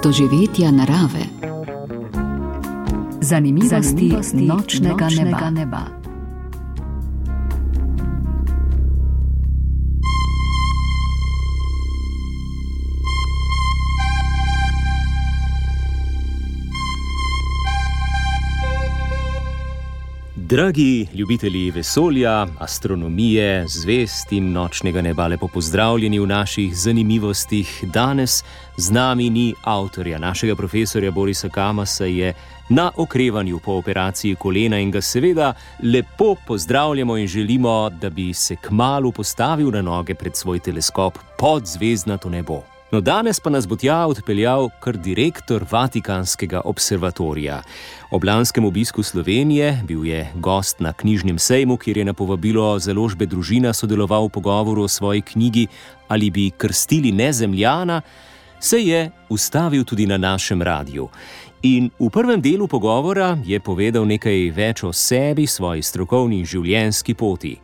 doživetja narave. Zanimivosti nočnega neba. Dragi ljubitelji vesolja, astronomije, zvezd in nočnega neba, lepo pozdravljeni v naših zanimivostih. Danes z nami ni avtorja, našega profesorja Borisa Kamasa je na okrevanju po operaciji kolena in ga seveda lepo pozdravljamo in želimo, da bi se kmalu postavil na noge pred svoj teleskop pod zvezdnato nebo. No, danes pa nas bo tja odpeljal kar direktor Vatikanskega observatorija. Ob lanskem obisku Slovenije bil je gost na knjižnem sejmu, kjer je na povabilo založbe Družina sodeloval v pogovoru o svoji knjigi Ali bi krstili Nezemljana, se je ustavil tudi na našem radiju. In v prvem delu pogovora je povedal nekaj več o sebi, svoji strokovni in življenjski poti.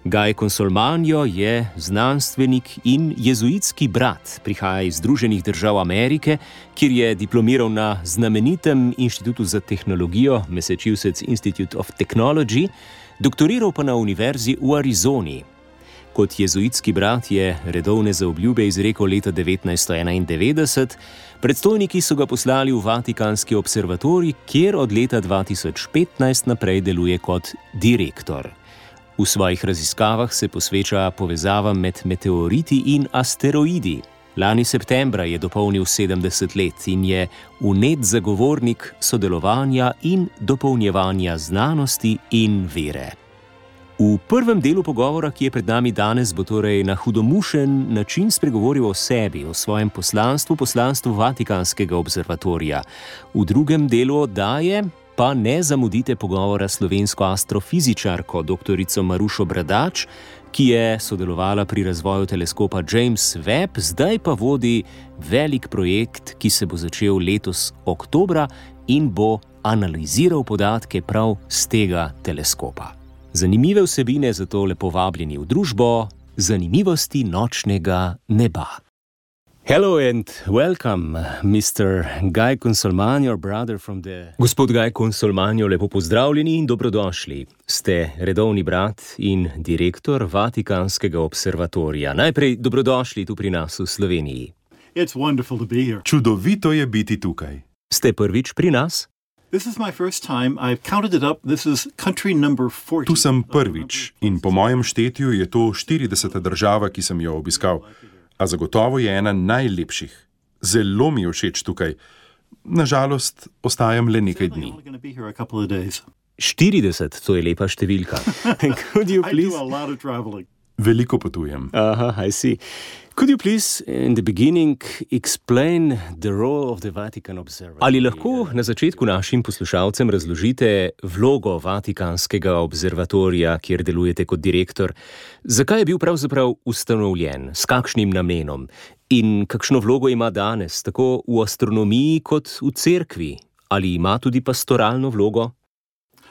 Guy Consolmagno je znanstvenik in jezuitski brat, prihaja iz Združenih držav Amerike, kjer je diplomiral na znamenitem inštitutu za tehnologijo Massachusetts Institute of Technology, doktoriral pa na univerzi v Arizoni. Kot jezuitski brat je redovne zaobljube izrekel leta 1991, predstojniki so ga poslali v Vatikanski observatorij, kjer od leta 2015 naprej deluje kot direktor. V svojih raziskavah se posveča povezavam med meteoriti in asteroidi. Lani septembra je dopolnil 70 let in je vnet zagovornik sodelovanja in dopolnjevanja znanosti in vere. V prvem delu pogovora, ki je pred nami danes, bo torej na hudomušen način spregovoril o sebi, o svojem poslanstvu Vatikanskega observatorija. V drugem delu oddaje pa ne zamudite pogovora s slovensko astrofizičarko doktorico Marušo Bradač, ki je sodelovala pri razvoju teleskopa James Webb, zdaj pa vodi velik projekt, ki se bo začel letos oktobra in bo analiziral podatke prav z tega teleskopa. Zanimive vsebine, zato lepo vabljeni v družbo zanimivosti nočnega neba. Hello and welcome, Mr. Guy Consolmagno, brother from the... Gospod Guy Consolmagno, lepo pozdravljeni in dobrodošli. Ste redovni brat in direktor Vatikanskega observatorija. Najprej dobrodošli tu pri nas v Sloveniji. It's wonderful to be here. Čudovito je biti tukaj. Ste prvič pri nas? This is my first time. I've counted it up. This is country number 40. Tu sem prvič in po mojem štetju je to 40. država, ki sem jo obiskal. A zagotovo je ena najlepših. Zelo mi je všeč tukaj. Nažalost, ostajam le nekaj dni. 40, to je lepa številka. Could you please... I do a lot of traveling. Veliko potujem. I see. Could you please, in the beginning, explain the role of the Vatican Observatory? Ali lahko na začetku našim poslušalcem razložite vlogo Vatikanskega observatorija, kjer delujete kot direktor? Zakaj je bil pravzaprav ustanovljen? S kakšnim namenom? In kakšno vlogo ima danes, tako v astronomiji kot v cerkvi? Ali ima tudi pastoralno vlogo?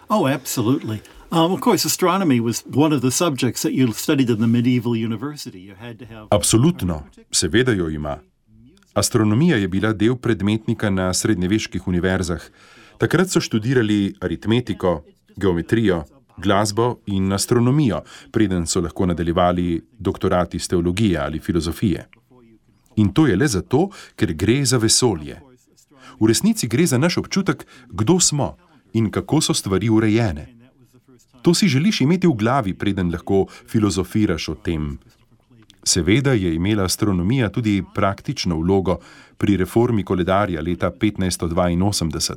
Oh, absolutely. Of course, astronomy was one of the subjects that you studied in the medieval university. You had to have... Absolutno, seveda jo ima. Astronomija je bila del predmetnika na srednjeveških univerzah. Takrat so študirali aritmetiko, geometrijo, glasbo in astronomijo, preden so lahko nadaljevali doktorat iz teologije ali filozofije. In to je le zato, ker gre za vesolje. V resnici gre za naš občutek, kdo smo in kako so stvari urejene. To si želiš imeti v glavi, preden lahko filozofiraš o tem. Seveda je imela astronomija tudi praktično vlogo pri reformi koledarja leta 1582.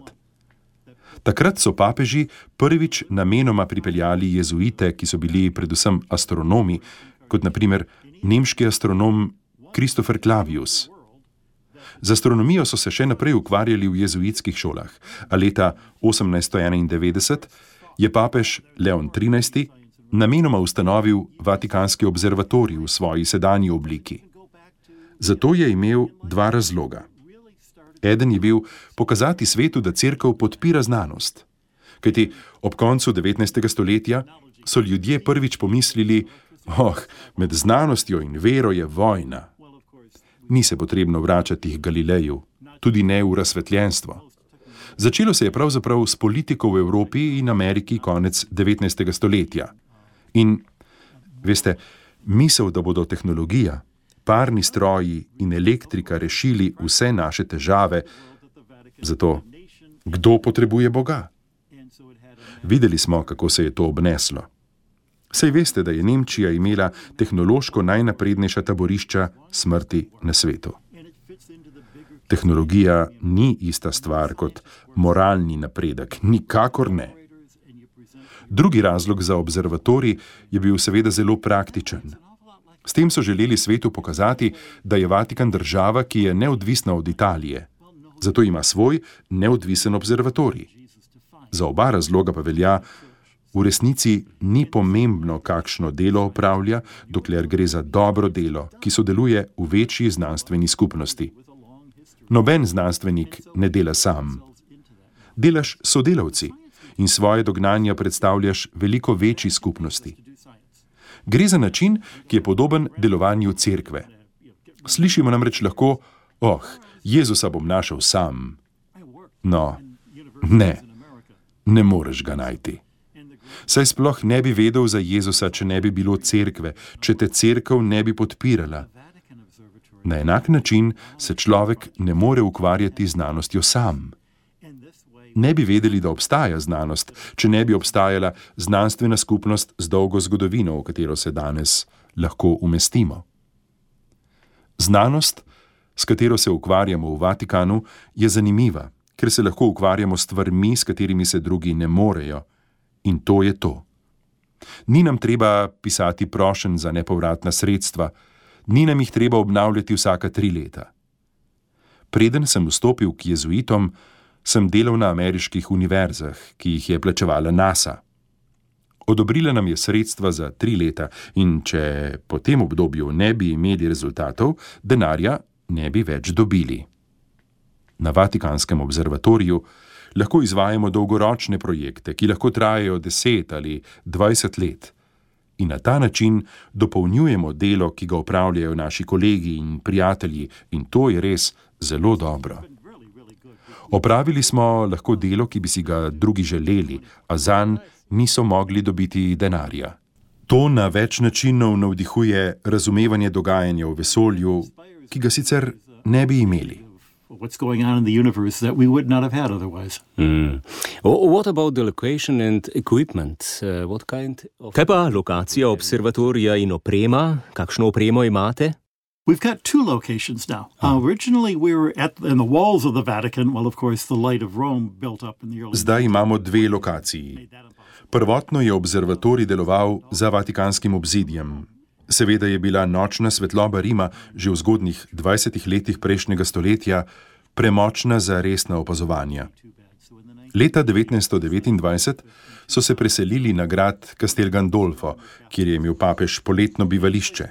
Takrat so papeži prvič namenoma pripeljali jezuite, ki so bili predvsem astronomi, kot na primer nemški astronom Christopher Clavius. Z astronomijo so se še naprej ukvarjali v jezuitskih šolah, a leta 1891 je papež Leon XIII. Namenoma ustanovil Vatikanski observatorij v svoji sedanji obliki. Zato je imel dva razloga. Eden je bil pokazati svetu, da cerkev podpira znanost. Kajti ob koncu 19. stoletja so ljudje prvič pomislili, med znanostjo in vero je vojna. Ni se potrebno vračati k Galileju. tudi ne v razsvetljenstvo. Začelo se je pravzaprav s politiko v Evropi in Ameriki konec 19. stoletja. In, veste, misel, da bodo tehnologija, parni stroji in elektrika rešili vse naše težave, zato kdo potrebuje Boga? Videli smo, kako se je to obneslo. Saj veste, da je Nemčija imela tehnološko najnaprednejša taborišča smrti na svetu. Tehnologija ni ista stvar kot moralni napredek, nikakor ne. Drugi razlog za observatorij je bil seveda zelo praktičen. S tem so želeli svetu pokazati, da je Vatikan država, ki je neodvisna od Italije. Zato ima svoj neodvisen observatorij. Za oba razloga pa velja, v resnici ni pomembno, kakšno delo opravlja, dokler gre za dobro delo, ki sodeluje v večji znanstveni skupnosti. Noben znanstvenik ne dela sam. Delaš s sodelavci in svoje dognanja predstavljaš veliko večji skupnosti. Gre za način, ki je podoben delovanju cerkve. Slišimo namreč lahko, Jezusa bom našel sam. No, ne moreš ga najti. Saj sploh ne bi vedel za Jezusa, če ne bi bilo cerkve, če te cerkev ne bi podpirala. Na enak način se človek ne more ukvarjati z znanostjo sam. Ne bi vedeli, da obstaja znanost, če ne bi obstajala znanstvena skupnost z dolgo zgodovino, v katero se danes lahko umestimo. Znanost, s katero se ukvarjamo v Vatikanu, je zanimiva, ker se lahko ukvarjamo s stvarmi, s katerimi se drugi ne morejo. In to je to. Ni nam treba pisati prošenj za nepovratna sredstva, ni nam jih treba obnavljati vsaka 3 leta. Preden sem vstopil k jezuitom, sem delal na ameriških univerzah, ki jih je plačevala NASA. Odobrila nam je sredstva za 3 leta in če po tem obdobju ne bi imeli rezultatov, denarja ne bi več dobili. Na Vatikanskem observatoriju lahko izvajamo dolgoročne projekte, ki lahko trajajo 10 ali 20 let. In na ta način dopolnjujemo delo, ki ga opravljajo naši kolegi in prijatelji, in to je res zelo dobro. Opravili smo lahko delo, ki bi si ga drugi želeli, a zanj niso mogli dobiti denarja. To na več načinov navdihuje razumevanje dogajanja v vesolju, ki ga sicer ne bi imeli. What's going on in the universe that we would not have had otherwise. What about the location and equipment? Kaj pa lokacija observatorija in oprema? Kakšno opremo imate? We've got 2 locations now. Originally we were in the walls of the Vatican, well of course the light of Rome built up in the early... Zdaj imamo 2 lokaciji. Prvotno je observatorij deloval za Vatikanskim obzidjem. Seveda je bila nočna svetloba Rima že v zgodnjih 20 letih prejšnjega stoletja premočna za resna opazovanja. Leta 1929 so se preselili na grad Castel Gandolfo, kjer je imel papež poletno bivališče.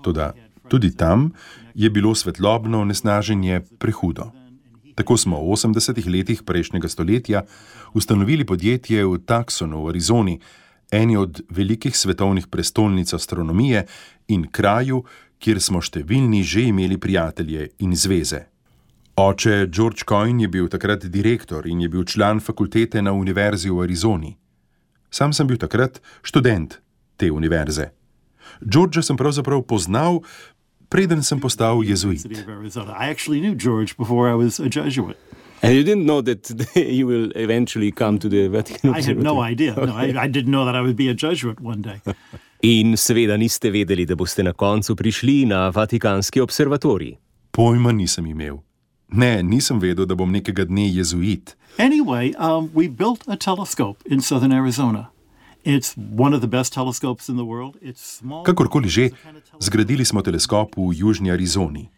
Toda tudi tam je bilo svetlobno onesnaženje prehudo. Tako smo v 80 letih prejšnjega stoletja ustanovili podjetje v Tucsonu v Arizoni, eni od velikih svetovnih prestolnic astronomije in kraju, kjer smo številni že imeli prijatelje in zveze. Oče George Coyne je bil takrat direktor in je bil član fakultete na univerzi v Arizoni. Sam sem bil takrat študent te univerze. Georgea sem pravzaprav poznal, preden sem postal jezuit. I actually knew George before I was a Jesuit. And you didn't know that you will eventually come to the Vatican I had no idea. No, I didn't know that I would be a Jesuit one day. In seveda niste vedeli, da boste na koncu prišli na Vatikanski observatorij. Pojma nisem imel. Ne, nisem vedel, da bom nekega dne jezuit. Anyway, we built a telescope in southern Arizona. It's one of the best telescopes in the world. It's small. Kakorkoli že, zgradili smo teleskop v južni Arizoni.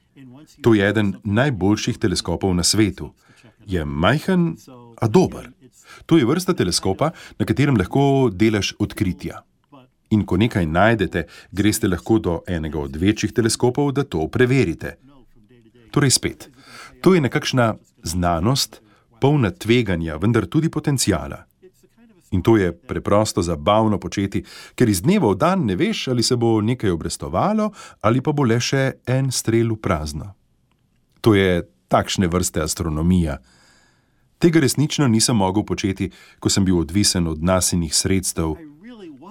To je eden najboljših teleskopov na svetu. Je majhen, a dober. To je vrsta teleskopa, na katerem lahko delaš odkritja. In ko nekaj najdete, greste lahko do enega od večjih teleskopov, da to preverite. Torej spet, to je nekakšna znanost, polna tveganja, vendar tudi potencijala. In to je preprosto zabavno početi, ker iz dneva v dan ne veš, ali se bo nekaj obrestovalo, ali pa bo le še en strel v prazno. To je takšne vrste astronomija. Tega resnično nisem mogel početi, ko sem bil odvisen od NASInih sredstev.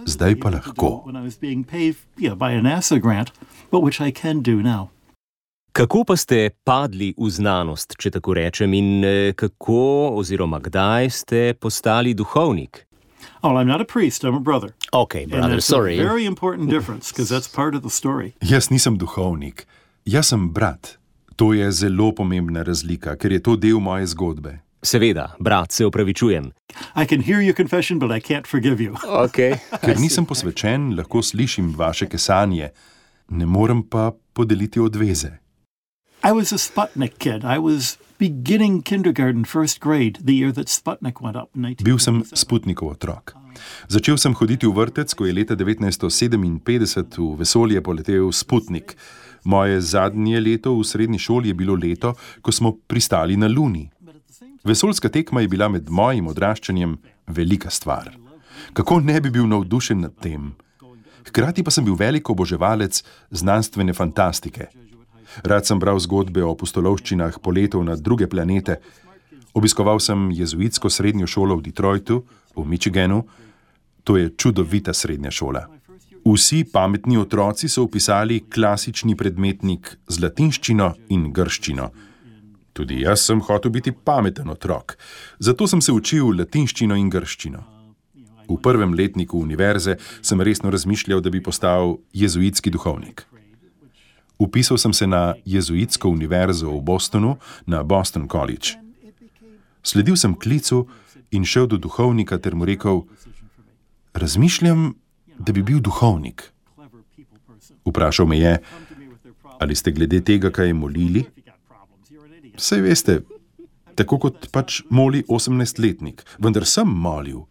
Zdaj pa lahko. Kako pa ste padli v znanost, če tako rečem, in kako oziroma kdaj ste postali duhovnik? Oh, I'm not a priest, I'm a brother. Okay, brother, sorry. And that's a very important difference, because that's part of the story. Jaz nisem duhovnik, jaz sem brat. To je zelo pomembna razlika, ker je to del moje zgodbe. Seveda, brat, se opravičujem. I can hear your confession, but I can't forgive you. Okay. Ker nisem posvečen, lahko slišim vaše kesanje, ne morem pa podeliti odveze. I was a Sputnik kid. I was beginning kindergarten, first grade, the year that Sputnik went up. Bil sem Sputnikov otrok. Začel sem hoditi v vrtec, ko je leta 1957 v vesolje poletel Sputnik. Moje zadnje leto v srednji šoli je bilo leto, ko smo pristali na Luni. Vesoljska tekma je bila med mojim odraščanjem velika stvar. Kako ne bi bil navdušen nad tem? Hkrati pa sem bil velik oboževalec znanstvene fantastike. Rad sem bral zgodbe o pustolovščinah poletov na druge planete. Obiskoval sem jezuitsko srednjo šolo v Detroitu, v Michiganu. To je čudovita srednja šola. Vsi pametni otroci so vpisali klasični predmetnik z latinščino in grščino. Tudi jaz sem hotel biti pameten otrok, zato sem se učil latinščino in grščino. V prvem letniku univerze sem resno razmišljal, da bi postal jezuitski duhovnik. Vpisal sem se na jezuitsko univerzo v Bostonu, na Boston College. Sledil sem klicu in šel do duhovnika ter mu rekel: razmišljam, da bi bil duhovnik. Vprašal me je: ali ste glede tega kaj molili? Saj veste, tako kot pač moli 18-letnik, vendar sem molil.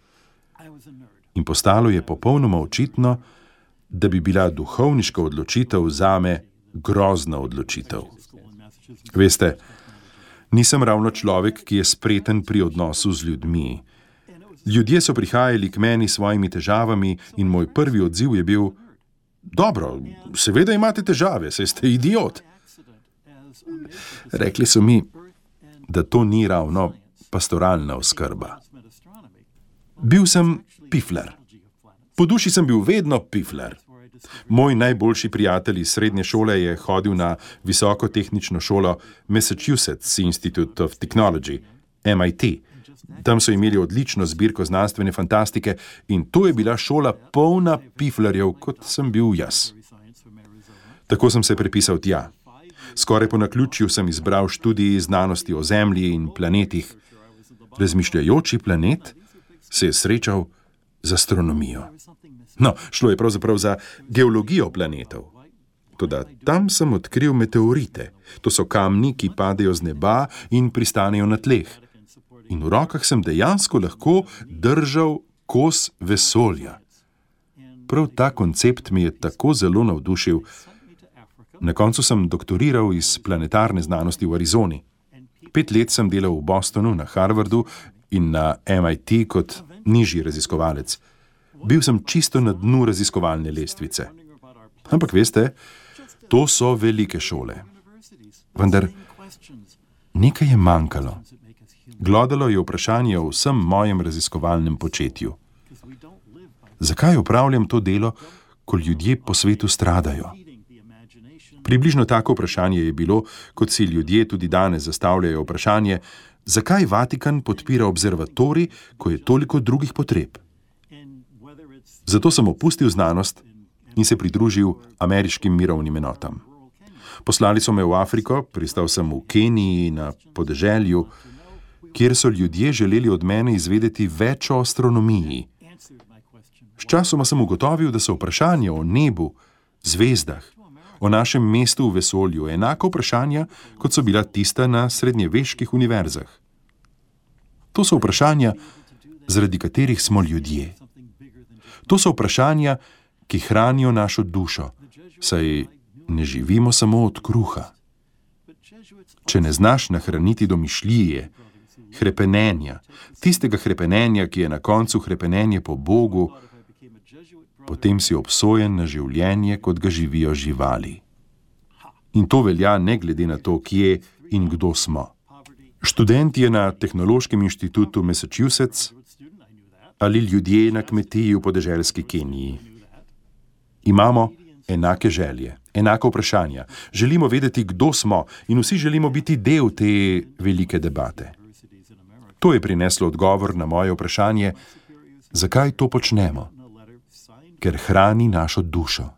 In postalo je popolnoma očitno, da bi bila duhovniška odločitev zame grozna odločitev. Veste, nisem ravno človek, ki je spreten pri odnosu z ljudmi. Ljudje so prihajali k meni s svojimi težavami in moj prvi odziv je bil: dobro, seveda imate težave, saj ste idiot. Rekli so mi, da to ni ravno pastoralna oskrba. Bil sem pifler. Po duši sem bil vedno pifler. Moj najboljši prijatelj iz srednje šole je hodil na visoko tehnično šolo Massachusetts Institute of Technology, MIT. Tam so imeli odlično zbirko znanstvene fantastike in to je bila šola polna piflerjev, kot sem bil jaz. Tako sem se prepisal tja. Skoraj po naključju sem izbral študij znanosti o Zemlji in planetih. Razmišljajoči planet se je srečal z astronomijo. No, šlo je pravzaprav za geologijo planetov. Toda tam sem odkril meteorite. To so kamni, ki padejo z neba in pristanejo na tleh. In v rokah sem dejansko lahko držal kos vesolja. Prav ta koncept mi je tako zelo navdušil. Na koncu sem doktoriral iz planetarne znanosti v Arizoni. 5 let sem delal v Bostonu, na Harvardu in na MIT kot nižji raziskovalec. Bil sem čisto na dnu raziskovalne lestvice. Ampak veste, to so velike šole. Vendar nekaj je manjkalo. Glodalo je vprašanje o vsem mojem raziskovalnem početju. Zakaj opravljam to delo, ko ljudje po svetu stradajo? Približno tako vprašanje je bilo, kot si ljudje tudi danes zastavljajo vprašanje, zakaj Vatikan podpira observatorij, ko je toliko drugih potreb. Zato sem opustil znanost in se pridružil ameriškim mirovnim enotam. Poslali so me v Afriko, pristal sem v Keniji na podeželju, kjer so ljudje želeli od mene izvedeti več o astronomiji. Sčasoma sem ugotovil, da so vprašanja o nebu, zvezdah, o našem mestu v vesolju enako vprašanja, kot so bila tista na srednjeveških univerzah. To so vprašanja, zaradi katerih smo ljudje. To so vprašanja, ki hranijo našo dušo, saj ne živimo samo od kruha. Če ne znaš nahraniti domišljije, hrepenenja, tistega hrepenenja, ki je na koncu hrepenenje po Bogu, potem si obsojen na življenje, kot ga živijo živali. In to velja ne glede na to, kje in kdo smo. Študent je na Tehnološkem inštitutu Massachusetts ali ljudje na kmetiji v podeželski Keniji. Imamo enake želje, enaka vprašanja. Želimo vedeti, kdo smo in vsi želimo biti del te velike debate. To je prineslo odgovor na moje vprašanje, zakaj to počnemo? Ker hrani našo dušo.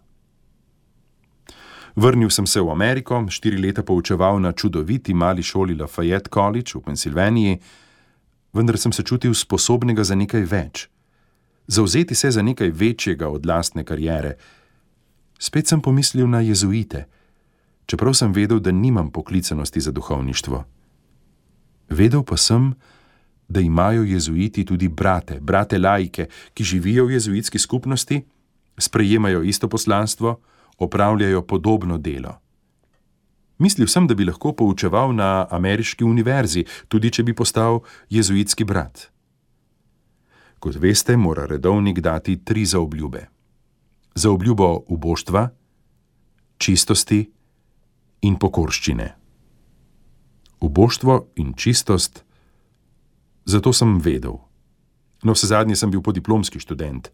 Vrnil sem se v Ameriko, 4 leta poučeval na čudoviti mali šoli Lafayette College v Pensilvaniji, vendar sem se čutil sposobnega za nekaj več. Zavzeti se za nekaj večjega od lastne kariere. Spet sem pomislil na jezuite, čeprav sem vedel, da nimam poklicanosti za duhovništvo. Vedel pa sem, da imajo jezuiti tudi brate laike, ki živijo v jezuitski skupnosti, sprejemajo isto poslanstvo, opravljajo podobno delo. Mislil sem, da bi lahko poučeval na ameriški univerzi, tudi če bi postal jezuitski brat. Kot veste, mora redovnik dati 3 zaobljube. Zaobljubo uboštva, čistosti in pokorščine. Uboštvo in čistost, zato sem vedel. No, vsezadnje sem bil podiplomski študent.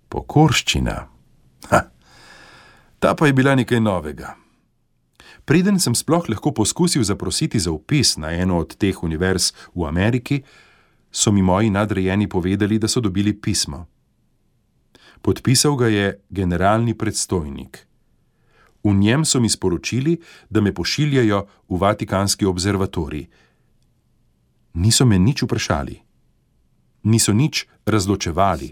Pokorščina. Ta pa je bila nekaj novega. Preden sem sploh lahko poskusil zaprositi za vpis na eno od teh univerz v Ameriki, so mi moji nadrejeni povedali, da so dobili pismo. Podpisal ga je generalni predstojnik. V njem so mi sporočili, da me pošiljajo v Vatikanski observatorij. Niso me nič vprašali. Niso nič razločevali.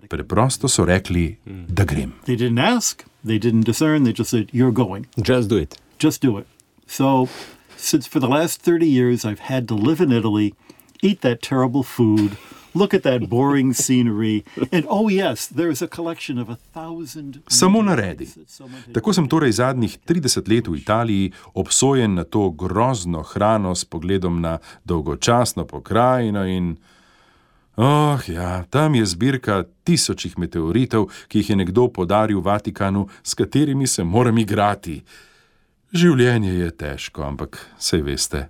Preprosto so rekli, da grem. They didn't ask, they didn't discern, they just said, you're going. Just do it. Just do it. So, since for the last 30 years I've had to live in Italy, eat that terrible food, look at that boring scenery, and oh yes, there's a collection of 1,000... Samo naredi. Tako sem torej zadnjih 30 let v Italiji obsojen na to grozno hrano s pogledom na dolgočasno pokrajino in... tam je zbirka 1000 meteoritov, ki jih je nekdo podaril Vatikanu, s katerimi se moram igrati. Življenje je težko, ampak saj veste,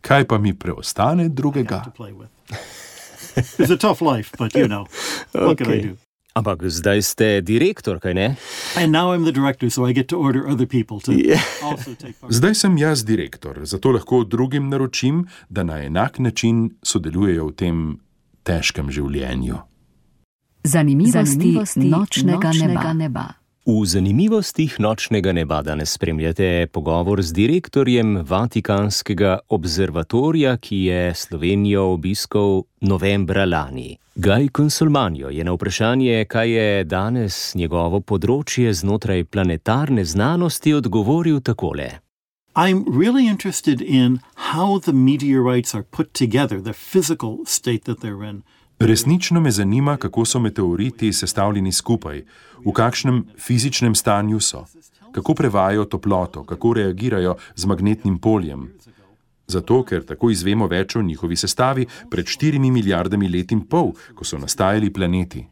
kaj pa mi preostane drugega? It's a tough life, but you know, what can I do? Ampak zdaj ste direktor, kaj ne? And now I'm the director, so I get to order other people to also take part. Zdaj sem jaz direktor, zato lahko drugim naročim, da na enak način sodelujejo v tem težkem življenju. Zanimivosti nočnega neba. V zanimivostih nočnega neba danes spremljate pogovor z direktorjem Vatikanskega observatorija, ki je Slovenijo obiskal novembra lani. Guy Consolmagno je na vprašanje, kaj je danes njegovo področje znotraj planetarne znanosti, odgovoril takole. I'm really interested in how the meteorites are put together, the physical state that they're in. Resnično me zanima, kako so meteoriti sestavljeni skupaj, v kakšnem fizičnem stanju so, kako prevajajo toploto, kako reagirajo z magnetnim poljem. Zato, ker tako izvemo več o njihovi sestavi pred 4 milijardami let in pol, ko so nastajali planeti.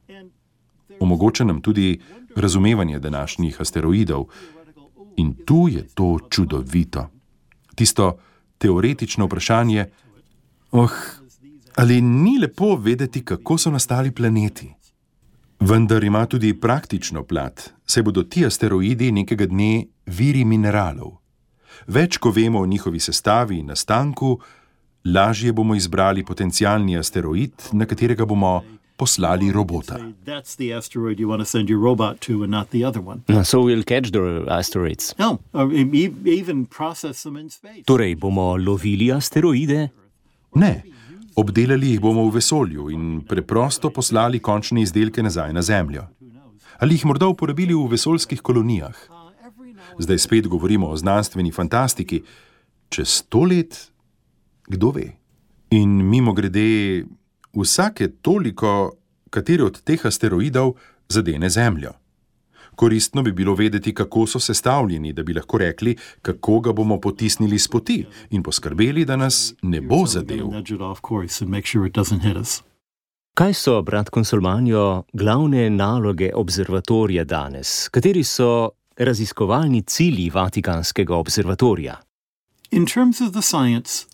Omogoča nam tudi razumevanje današnjih asteroidov. In tu je to čudovito. Tisto teoretično vprašanje, ali ni lepo vedeti, kako so nastali planeti? Vendar ima tudi praktično plat, saj bodo ti asteroidi nekega dne viri mineralov. Več, ko vemo o njihovi sestavi in nastanku, lažje bomo izbrali potencialni asteroid, na katerega bomo poslali robota. That's the asteroid you want to send your robot to and not the other one. So we'll catch the asteroids. No, even process them in space. Torej bomo lovili asteroide? Ne, obdelali jih bomo v vesolju in preprosto poslali končne izdelke nazaj na Zemljo. Ali jih morda uporabili v vesoljskih kolonijah. Zdaj spet govorimo o znanstveni fantastiki. Čez 100 let, kdo ve? In mimogrede, vsake toliko, kateri od teh asteroidov zadene Zemljo. Koristno bi bilo vedeti, kako so sestavljeni, da bi lahko rekli, kako ga bomo potisnili s poti in poskrbeli, da nas ne bo zadel. Kaj so, brat Consolmagno, glavne naloge observatorija danes? Kateri so raziskovalni cilji Vatikanskega observatorija? In terms of the science,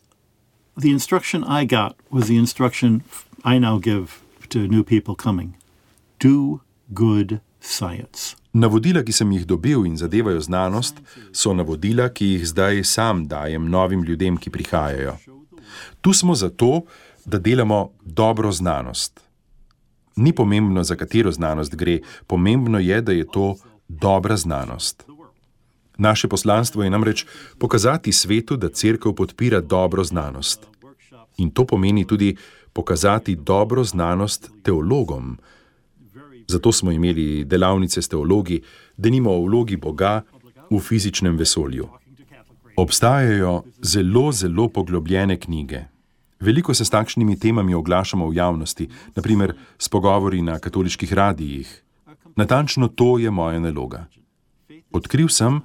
the instruction I got was the instruction I now give to new people coming. Do good science. Navodila, ki sem jih dobil in zadevajo znanost, so navodila, ki jih zdaj sam dajem novim ljudem, ki prihajajo. Tu smo zato, da delamo dobro znanost. Ni pomembno, za katero znanost gre, pomembno je, da je to dobra znanost. Naše poslanstvo je namreč pokazati svetu, da cerkev podpira dobro znanost. In to pomeni tudi pokazati dobro znanost teologom. Zato smo imeli delavnice s teologi, denimo o vlogi Boga v fizičnem vesolju. Obstajajo zelo poglobljene knjige. Veliko se s takšnimi temami oglašamo v javnosti, na primer s pogovori na katoliških radijih. Natančno to je moja naloga. Odkril sem,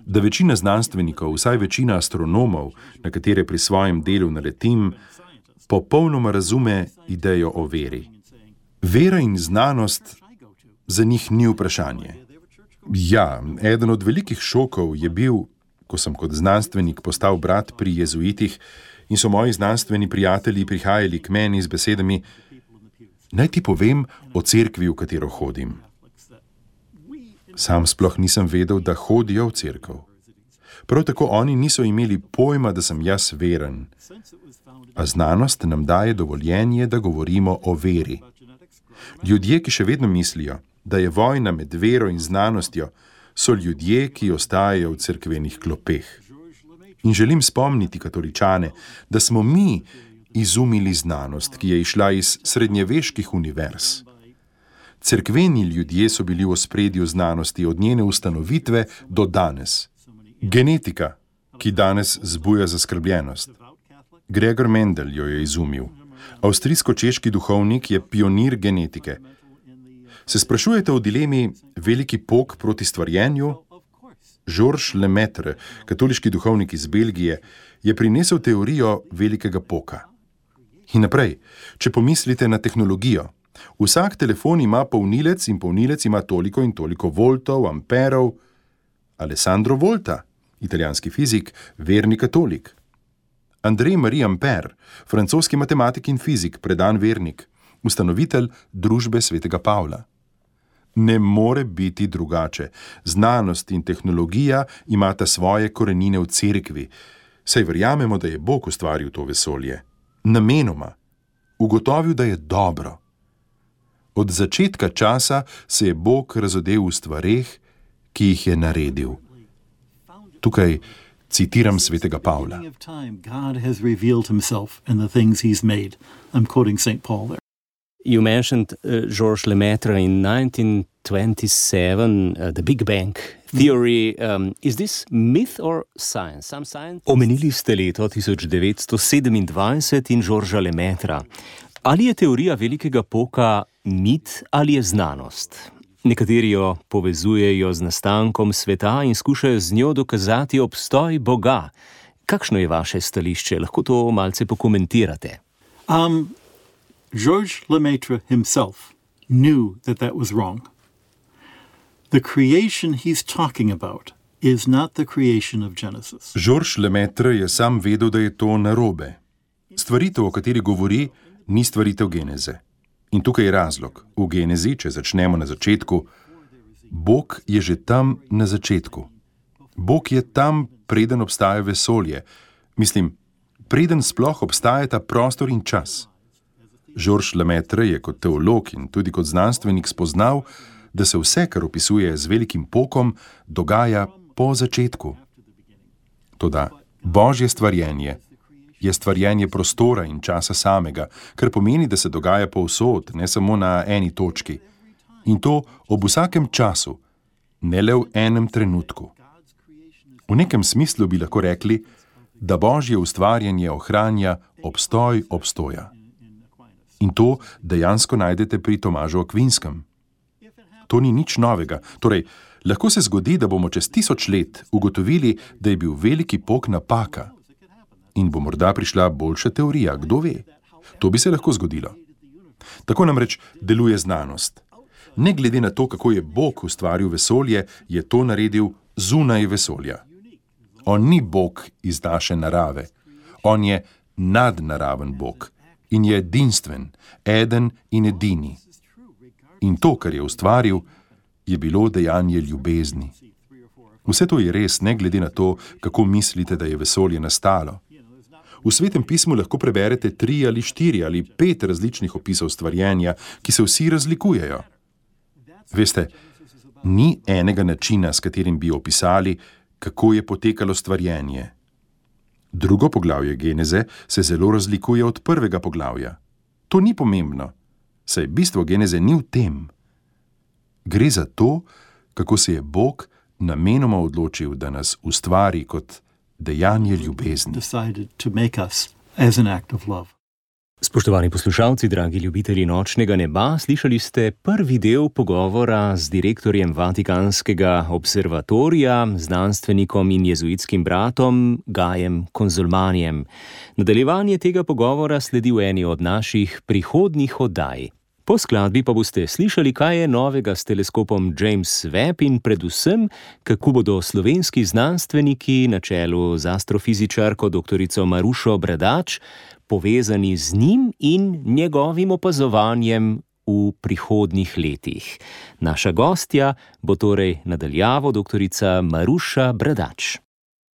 da večina znanstvenikov, vsaj večina astronomov, na katere pri svojem delu naletim, popolnoma razume idejo o veri. Vera in znanost za njih ni vprašanje. Ja, eden od velikih šokov je bil, ko sem kot znanstvenik postal brat pri jezuitih in so moji znanstveni prijatelji prihajali k meni z besedami: naj ti povem o cerkvi, v katero hodim. Sam sploh nisem vedel, da hodijo v cerkev. Prav tako oni niso imeli pojma, da sem jaz veren. A znanost nam daje dovoljenje, da govorimo o veri. Ljudje, ki še vedno mislijo, da je vojna med vero in znanostjo, so ljudje, ki ostajajo v cerkvenih klopeh. In želim spomniti katoličane, da smo mi izumili znanost, ki je išla iz srednjeveških univerz. Cerkveni ljudje so bili v ospredju znanosti od njene ustanovitve do danes. Genetika, ki danes zbuja zaskrbljenost. Gregor Mendel jo je izumil. Avstrijsko-češki duhovnik je pionir genetike. Se sprašujete o dilemi veliki pok proti stvarjenju? Georges Lemaitre, katoliški duhovnik iz Belgije, je prinesel teorijo velikega poka. In naprej, če pomislite na tehnologijo, vsak telefon ima polnilec in polnilec ima toliko in toliko voltov, amperov. Alessandro Volta, italijanski fizik, verni katolik. Andrej-Marie Ampère, francoski matematik in fizik, predan vernik, ustanovitelj družbe svetega Pavla. Ne more biti drugače. Znanost in tehnologija imata svoje korenine v cerkvi, saj verjamemo, da je Bog ustvaril to vesolje. Namenoma. Ugotovil, da je dobro. Od začetka časa se je Bog razodel v stvareh, ki jih je naredil. Tukaj citiram svetega Pavla. God has revealed himself in the things he's made. I'm quoting St. Paul there. You mentioned Georges Lemaitre in 1927, the Big Bang theory. Is this myth or science? Some science? Omenili ste leto 1927 in Georgesa Lemaitra. Ali je teorija velikega poka mit ali je znanost? Nekateri jo povezujejo z nastankom sveta in skušajo z njo dokazati obstoj Boga. Kakšno je vaše stališče? Lahko to malce pokomentirate. Georges Lemaitre himself knew that was wrong. The creation he's talking about is not the creation of Genesis. Georges Lemaitre je sam vedel, da je to narobe. Stvaritev, o kateri govori, ni stvaritev Geneze. In tukaj je razlog. V Genezi, če začnemo na začetku, Bog je že tam na začetku. Bog je tam, preden obstaja vesolje. Mislim, preden sploh obstajata prostor in čas. Georges Lemaitre je kot teolog in tudi kot znanstvenik spoznal, da se vse, kar opisuje z velikim pokom, dogaja po začetku. Toda Božje stvarjenje je stvarjenje prostora in časa samega, kar pomeni, da se dogaja povsod, ne samo na eni točki. In to ob vsakem času, ne le v enem trenutku. V nekem smislu bi lahko rekli, da Božje ustvarjanje ohranja obstoj obstoja. In to dejansko najdete pri Tomažu Akvinskem. To ni nič novega. Torej, lahko se zgodi, da bomo čez 1000 let ugotovili, da je bil veliki pok napaka. In bo morda prišla boljša teorija, kdo ve. To bi se lahko zgodilo. Tako namreč deluje znanost. Ne glede na to, kako je Bog ustvaril vesolje, je to naredil zunaj vesolja. On ni Bog iz naše narave. On je nadnaraven Bog in je edinstven, eden in edini. In to, kar je ustvaril, je bilo dejanje ljubezni. Vse to je res, ne glede na to, kako mislite, da je vesolje nastalo. V Svetem pismu lahko preberete 3 ali 4 ali 5 različnih opisov stvarjenja, ki se vsi razlikujejo. Veste, ni enega načina, s katerim bi opisali, kako je potekalo stvarjenje. Drugo poglavje Geneze se zelo razlikuje od prvega poglavja. To ni pomembno, saj bistvo Geneze ni v tem. Gre za to, kako se je Bog namenoma odločil, da nas ustvari kot dejanje ljubezni. Spoštovani poslušalci, dragi ljubitelji nočnega neba, slišali ste prvi del pogovora z direktorjem Vatikanskega observatorija, znanstvenikom in jezuitskim bratom Gajem Konzulmanijem. Nadaljevanje tega pogovora sledi v eni od naših prihodnjih oddaj. Po skladbi pa boste slišali, kaj je novega s teleskopom James Webb in predvsem, kako bodo slovenski znanstveniki na čelu z astrofizičarko doktorico Marušo Bradač povezani z njim in njegovim opazovanjem v prihodnjih letih. Naša gostja bo torej nadaljavo doktorica Maruša Bradač.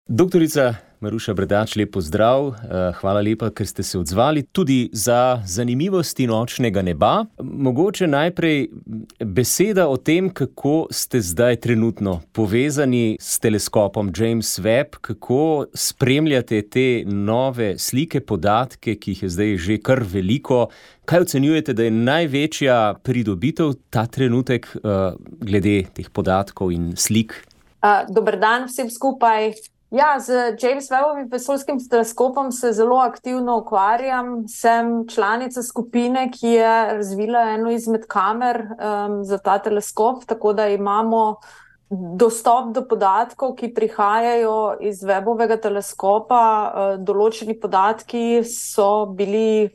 Doktorica Maruša Bradač, lep pozdrav, hvala lepa, ker ste se odzvali tudi za zanimivosti nočnega neba. Mogoče najprej beseda o tem, kako ste zdaj trenutno povezani s teleskopom James Webb, kako spremljate te nove slike, podatke, ki jih je zdaj že kar veliko. Kaj ocenjujete, da je največja pridobitev ta trenutek glede teh podatkov in slik? Dober dan vsem skupaj. Ja, z James Webbovim vesoljskim teleskopom se zelo aktivno ukvarjam. Sem članica skupine, ki je razvila eno izmed kamer za ta teleskop, tako da imamo dostop do podatkov, ki prihajajo iz Webbovega teleskopa. Določeni podatki so bili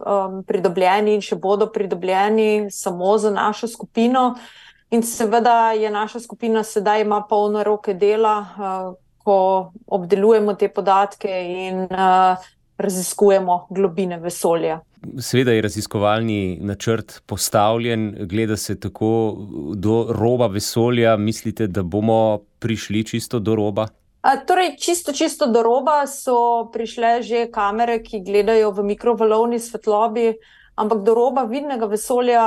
pridobljeni in še bodo pridobljeni samo za našo skupino. In seveda je naša skupina sedaj ima polno roke dela, ko obdelujemo te podatke in raziskujemo globine vesolja. Seveda je raziskovalni načrt postavljen, gleda se tako do roba vesolja. Mislite, da bomo prišli čisto do roba? Torej, čisto do roba so prišle že kamere, ki gledajo v mikrovalovni svetlobi, ampak do roba vidnega vesolja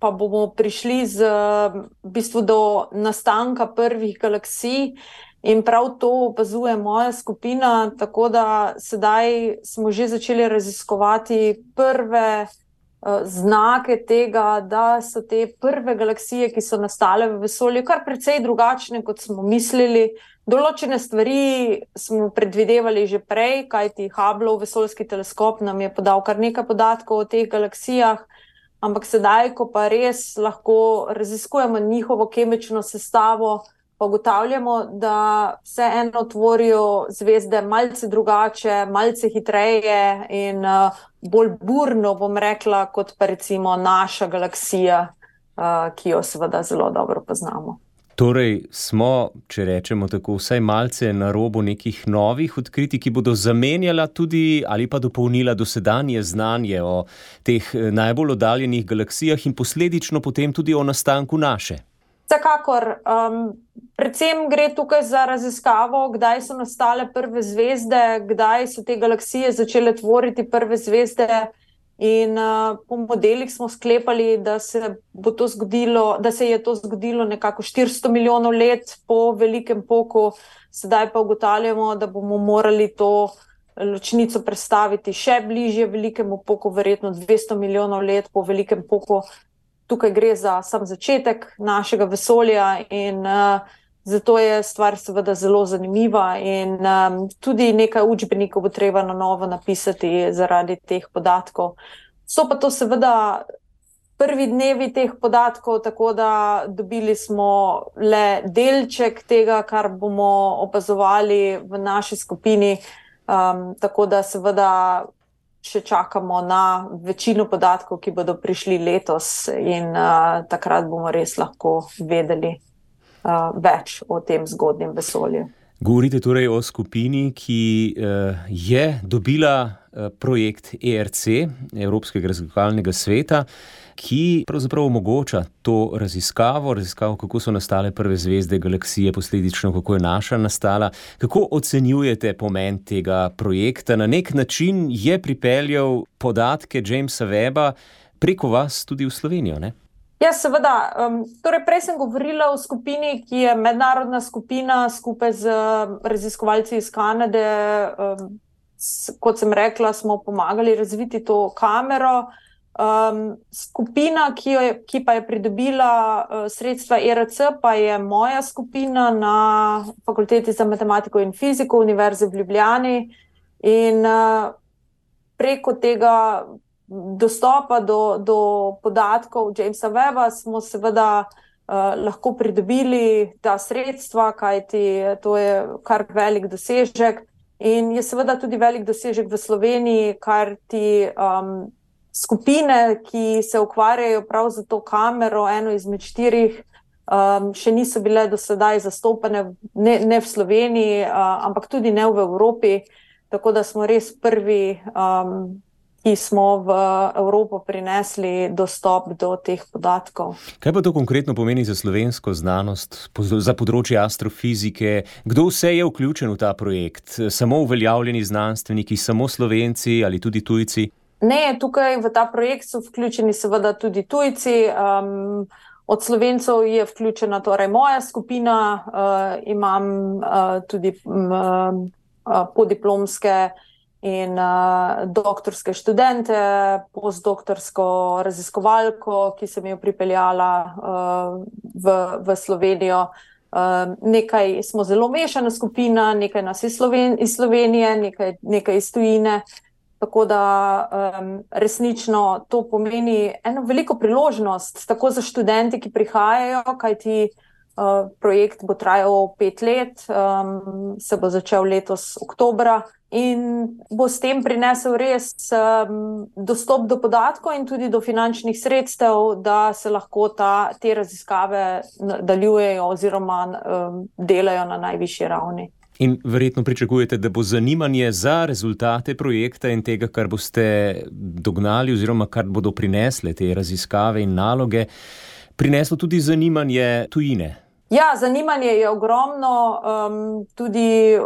pa bomo prišli v bistvu do nastanka prvih galaksij. In prav to opazuje moja skupina, tako da sedaj smo že začeli raziskovati prve znake tega, da so te prve galaksije, ki so nastale v vesolju, kar precej drugačne, kot smo mislili. Določene stvari smo predvidevali že prej, kajti Hubbleov vesoljski teleskop nam je podal kar nekaj podatkov o teh galaksijah, ampak sedaj, ko pa res lahko raziskujemo njihovo kemično sestavo, pa ugotavljamo, da vseeno tvorijo zvezde malce drugače, malce hitreje in bolj burno, bom rekla, kot pa recimo naša galaksija, ki jo seveda zelo dobro poznamo. Torej smo, če rečemo tako, vsaj malce na robu nekih novih odkritij, ki bodo zamenjala tudi ali pa dopolnila dosedanje znanje o teh najbolj oddaljenih galaksijah in posledično potem tudi o nastanku naše. Vsekakor, predvsem gre tukaj za raziskavo, kdaj so nastale prve zvezde, kdaj so te galaksije začele tvoriti prve zvezde in po modelih smo sklepali, da se je to zgodilo nekako 400 milijonov let po velikem poku, sedaj pa ugotavljamo, da bomo morali to ločnico prestaviti še bližje velikemu poku, verjetno 200 milijonov let po velikem poku. Tukaj gre za sam začetek našega vesolja in zato je stvar seveda zelo zanimiva in tudi nekaj učbenikov bo treba na novo napisati zaradi teh podatkov. So pa to seveda prvi dnevi teh podatkov, tako da dobili smo le delček tega, kar bomo opazovali v naši skupini, tako da seveda še čakamo na večino podatkov, ki bodo prišli letos in takrat bomo res lahko vedeli več o tem zgodnjem vesolju. Govorite torej o skupini, ki je dobila projekt ERC, Evropskega raziskovalnega sveta, ki pravzaprav omogoča to raziskavo, kako so nastale prve zvezde, galaksije, posledično kako je naša nastala. Kako ocenjujete pomen tega projekta? Na nek način je pripeljal podatke Jamesa Webba preko vas tudi v Slovenijo, ne? Ja, seveda. Torej, prej sem govorila o skupini, ki je mednarodna skupina skupaj z raziskovalci iz Kanade. Kot sem rekla, smo pomagali razviti to kamero. Skupina, ki pa je pridobila sredstva ERC, pa je moja skupina na Fakulteti za matematiko in fiziko Univerze v Ljubljani. In preko tega dostopa do podatkov Jamesa Webba smo seveda lahko pridobili ta sredstva, kajti to je kar velik dosežek in je seveda tudi velik dosežek v Sloveniji, kar ti skupine, ki se ukvarjajo prav za to kamero, eno izmed 4, še niso bile do sedaj zastopane ne v Sloveniji, ampak tudi ne v Evropi, tako da smo res prvi, ki smo v Evropo prinesli dostop do teh podatkov. Kaj pa to konkretno pomeni za slovensko znanost, za področje astrofizike? Kdo vse je vključen v ta projekt? Samo uveljavljeni znanstveniki, samo Slovenci ali tudi tujci? Ne, tukaj v ta projekt so vključeni seveda tudi tujci. Od Slovencev je vključena torej moja skupina, imam tudi podiplomske in doktorske študente, postdoktorsko raziskovalko, ki sem jo pripeljala v Slovenijo. Nekaj smo zelo mešana skupina, nekaj nas iz Slovenije, nekaj iz tujine. Tako da resnično to pomeni eno veliko priložnost, tako za študente, ki prihajajo, kajti projekt bo trajal 5 let, se bo začel letos oktobra in bo s tem prinesel res dostop do podatkov in tudi do finančnih sredstev, da se lahko te raziskave nadaljujejo oziroma delajo na najvišji ravni. In verjetno pričakujete, da bo zanimanje za rezultate projekta in tega, kar boste dognali oziroma kar bodo prinesle te raziskave in naloge, prineslo tudi zanimanje tujine. Ja, zanimanje je ogromno, tudi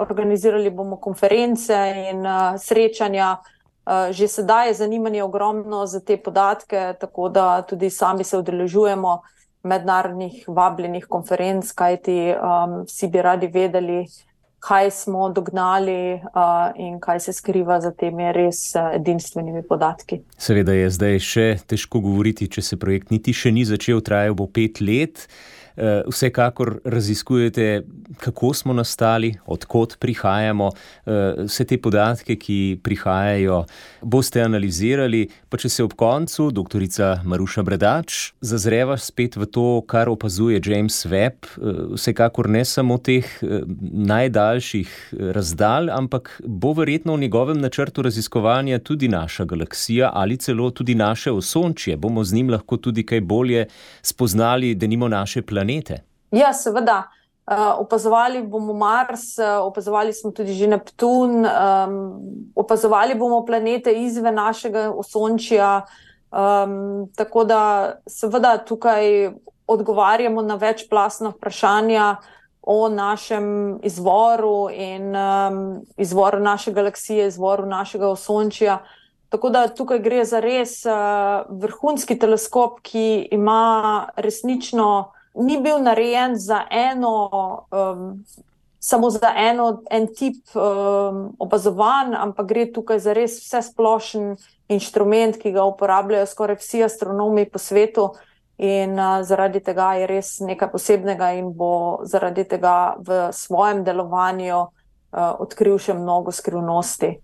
organizirali bomo konference in srečanja. Že sedaj je zanimanje ogromno za te podatke, tako da tudi sami se udeležujemo mednarodnih vabljenih konferenc, kajti vsi bi radi vedeli, kaj smo dognali in kaj se skriva za temi res edinstvenimi podatki. Seveda je zdaj še težko govoriti, če se projekt niti še ni začel, trajal bo 5 let. Vsekakor raziskujete, kako smo nastali, od kod prihajamo, vse te podatke, ki prihajajo, boste analizirali, pa če se ob koncu, doktorica Maruša Bradač, zazreva spet v to, kar opazuje James Webb, vsekakor ne samo teh najdaljših razdalj, ampak bo verjetno v njegovem načrtu raziskovanja tudi naša galaksija ali celo tudi naše osončje. Bomo z njim lahko tudi kaj bolje spoznali, denimo naše planete. Ja, seveda. Opazovali bomo Mars, opazovali smo tudi že Neptun, opazovali bomo planete izven našega osončja, tako da seveda tukaj odgovarjamo na večplastna vprašanja o našem izvoru in izvoru naše galaksije, izvoru našega osončja. Tako da tukaj gre za res vrhunski teleskop, ki ima resnično ni bil narejen za samo za en tip opazovanj, ampak gre tukaj za res vsesplošen inštrument, ki ga uporabljajo skoraj vsi astronomi po svetu in zaradi tega je res nekaj posebnega in bo zaradi tega v svojem delovanju odkril še mnogo skrivnosti.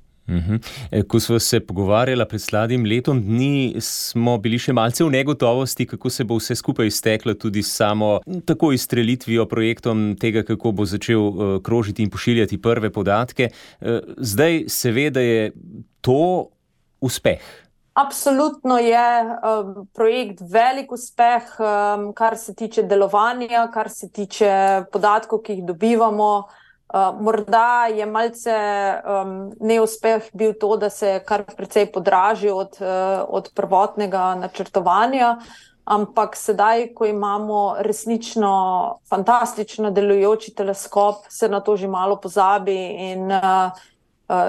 Ko smo se pogovarjali pred slabim letom dni, smo bili še malce v negotovosti, kako se bo vse skupaj izteklo, tudi samo tako izstrelitvijo projektom tega, kako bo začel krožiti in pošiljati prve podatke. Zdaj se ve, da je to uspeh. Absolutno je projekt velik uspeh, kar se tiče delovanja, kar se tiče podatkov, ki jih dobivamo. Morda je malce neuspeh bil to, da se je kar precej podražil od prvotnega načrtovanja, ampak sedaj, ko imamo resnično fantastično delujoči teleskop, se na to že malo pozabi in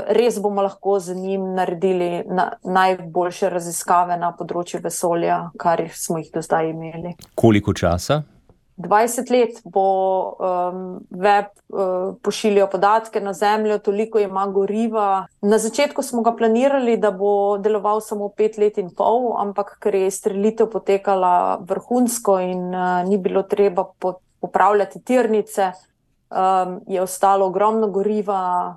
res bomo lahko z njim naredili najboljše raziskave na področju vesolja, kar smo jih do zdaj imeli. Koliko časa? 20 let bo web pošiljal podatke na Zemljo, toliko ima goriva. Na začetku smo ga planirali, da bo deloval samo 5 let in pol, ampak ker je izstrelitev potekala vrhunsko in ni bilo treba popravljati tirnice, je ostalo ogromno goriva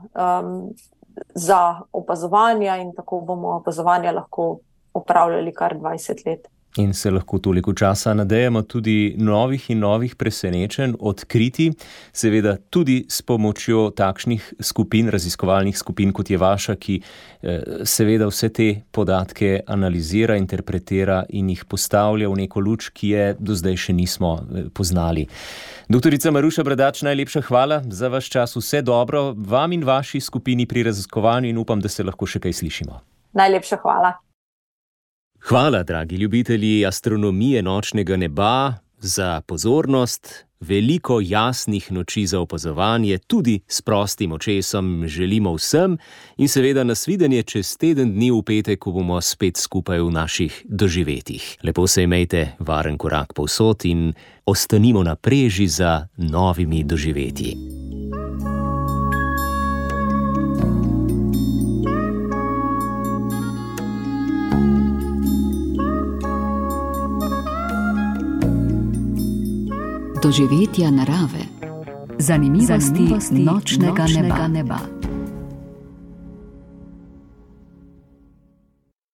za opazovanja in tako bomo opazovanja lahko opravljali kar 20 let. In se lahko toliko časa nadejamo tudi novih in novih presenečenj, odkriti, seveda tudi s pomočjo takšnih skupin, raziskovalnih skupin, kot je vaša, ki seveda vse te podatke analizira, interpretira in jih postavlja v neko luč, ki je do zdaj še nismo poznali. Doktorica Maruša Bradač, najlepša hvala za vaš čas, vse dobro vam in vaši skupini pri raziskovanju in upam, da se lahko še kaj slišimo. Najlepša hvala. Hvala, dragi ljubitelji astronomije nočnega neba, za pozornost. Veliko jasnih noči za opazovanje, tudi s prostim očesom želimo vsem in seveda nasvidenje čez teden dni v petek, ko bomo spet skupaj v naših doživetjih. Lepo se imejte, varen korak povsod in ostanimo na preži za novimi doživetji. Doživetja narave. Zanimivosti nočnega neba.